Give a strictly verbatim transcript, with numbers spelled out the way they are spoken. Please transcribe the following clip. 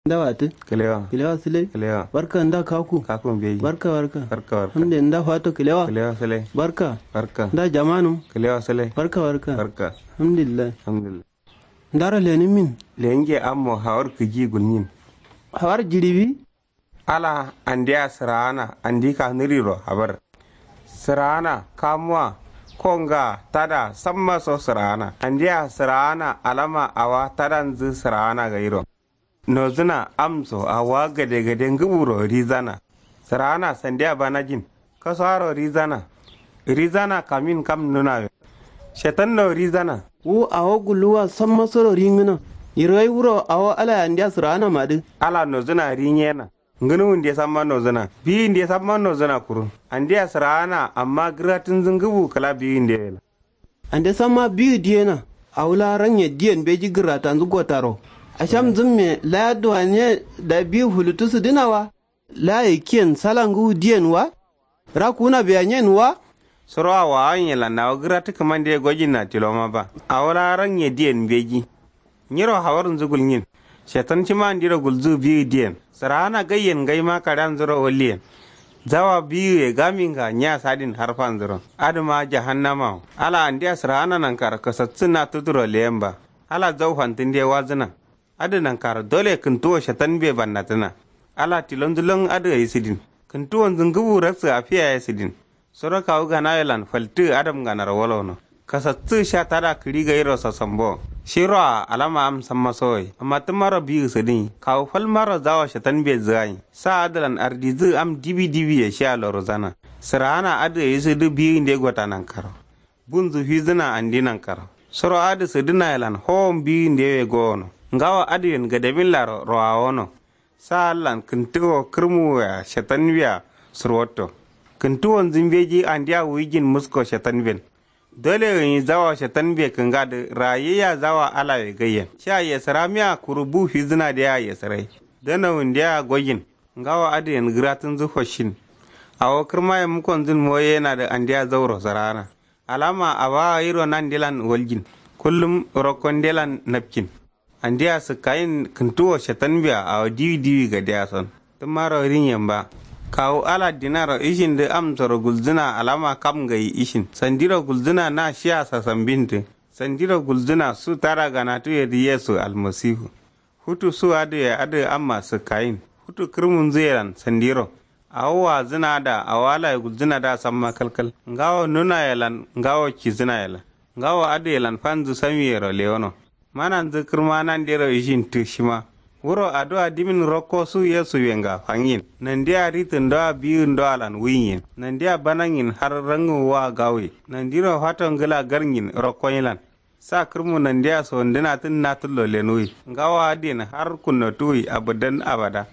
Nda watǝ? Kǝlewa. Kǝlewa sǝlai. Kǝlewa. Barka nda kaku? Kaku mbeji. Barka barka. Barka barka. Hamde nda fato kǝlewa? Kǝlewa sǝlai. Barka. Barka. Nda jamanǝm? Kǝlewa sǝlai. Barka barka. Barka. Alhamdulillah. Alhamdulillah. Ndaro lenǝmin? Lenje ammo hawar kǝji gulnyin. Hawar jiɍiwi? Ala andeya sǝraana andi kanuriro habar. Sǝraana kamuwa konga tada sammaso sǝraana andeya sǝraana alama awa tadanzǝ sǝraana gairo. Nozǝna amso awa gade gade ngǝburo rizana. Sǝraana sandiya banajin. Kasuwaro rizana. Rizana kamin kam nunawe. Shetanno rizana. Wu awo gulluwa sammasoro ringǝna. Yirgai wuro awo alaya andeya sǝraana madǝ. Ala nozǝna rinyena. Ngǝnuwunde samma nozǝna biyinde samma nozǝna kuru. Andeya sǝraana amma gǝratǝnzǝ ngǝbu kǝla biyinde wela. Ande samma biyu diyena. Awula ranye diyen beji gǝratanzǝ gotaro. Ashamzǝmme laya duwanye da biyu fulutu sǝdǝna wa. Laya kiyen sala ngǝwu diyen wa. Rakuna beya nyen wa. Suro awo awo nyelan awo gǝratǝ kǝmande gojinna tiloma ba. Awula ranye diyen beji. Nyiro hawarnzǝ gulnyin. Shetan shima andiro gulzǝ biyu diyen sǝraana gaiyen ngaima kareanzuro walliyen. Zawa biyuye gaminga nya sadin harfanzuro adǝma jahannamawo. Ala andeya sǝraana nankaro kasatsǝ na tuturo leyen ba. Ala zau fantǝnde wazǝna. Adǝ nankaro dole kǝntuwo shetanbe bannatǝna. Ala tilonzǝ lon adǝ gai sǝdin. Kǝntuwonzǝ ngǝbu raksǝ afiya ye sǝdin. Suro kawu ganawelan faltǝ adamnganaro wolono. Kasattǝ sha tada kǝɍi gairo sasambo. Shiroa alama am sammasowoye amma tǝmmaro biyu sǝdǝnyi kawu falmaro zawo shetanbe zǝganyi. Sa adǝlan ardizǝ am dibi dibiye shiya lorozana. Sǝraana adǝ gai sǝdǝ biyunde gota nankaro. Bunzǝ fizǝna andi nankaro. Suro adǝ sǝdǝnayelan howon biyundewe gowono. Ngawo adǝyen gademin laro rowawono. Sa allan kǝntǝwo kǝrmuwea shetanbea sǝrwatto. Kǝntǝwonzǝ mbeji andeya wuyijin musko shetanben. Dole gǝnyi zawo shetanbe kǝngadǝ rayayya zawo alawe gaiyen sha yesǝramiya kuru bu fizǝnadea yesǝrai. Danawundeya gojin. Ngawo adǝyen gǝratǝnzǝ foshin. Awo kǝrmaye mukonzǝn moyenadǝ andeya zauro sǝraana. Alama awa gairo nandelan waljin. Kullum rokkondelan napkin. Andeya sǝkkayin kǝntuwo shetanbea awo diwi diwi gadeya son. Tǝmmaro rinyen ba. Kawu ala dinaro ishindǝ amsoro gulzǝna alama kam ngai ishin sandiro gulzǝna na shiya sasambindǝ. Sandiro gulzǝna su tada ganatuwedǝ yesu almasifu. Futu su adǝye adǝ amma sǝkkayin. Futu kǝrmunzǝyelan sandiro. Awo wazǝna da awo alaye gulzǝna da samma kalkal ngawo nunayelan ngawo kizǝnayelan. Ngawo adǝyelan fanzǝ samiyero lewono. Mananzǝ kǝrma nandero ishin tǝ shima. Wuro aduwa dimin rokko su yesu wenga fangin nandeya ritǝndoa biyindoalan wuyin. Nandeya banangin har rangǝwwa gawuye nandiro fato ngǝla garngin rokkoyilan. Sa kǝrmu nandeya sondǝnatǝn natǝllo lenwuyi ngawo adǝyen har kunnotuwuyi abadan abada.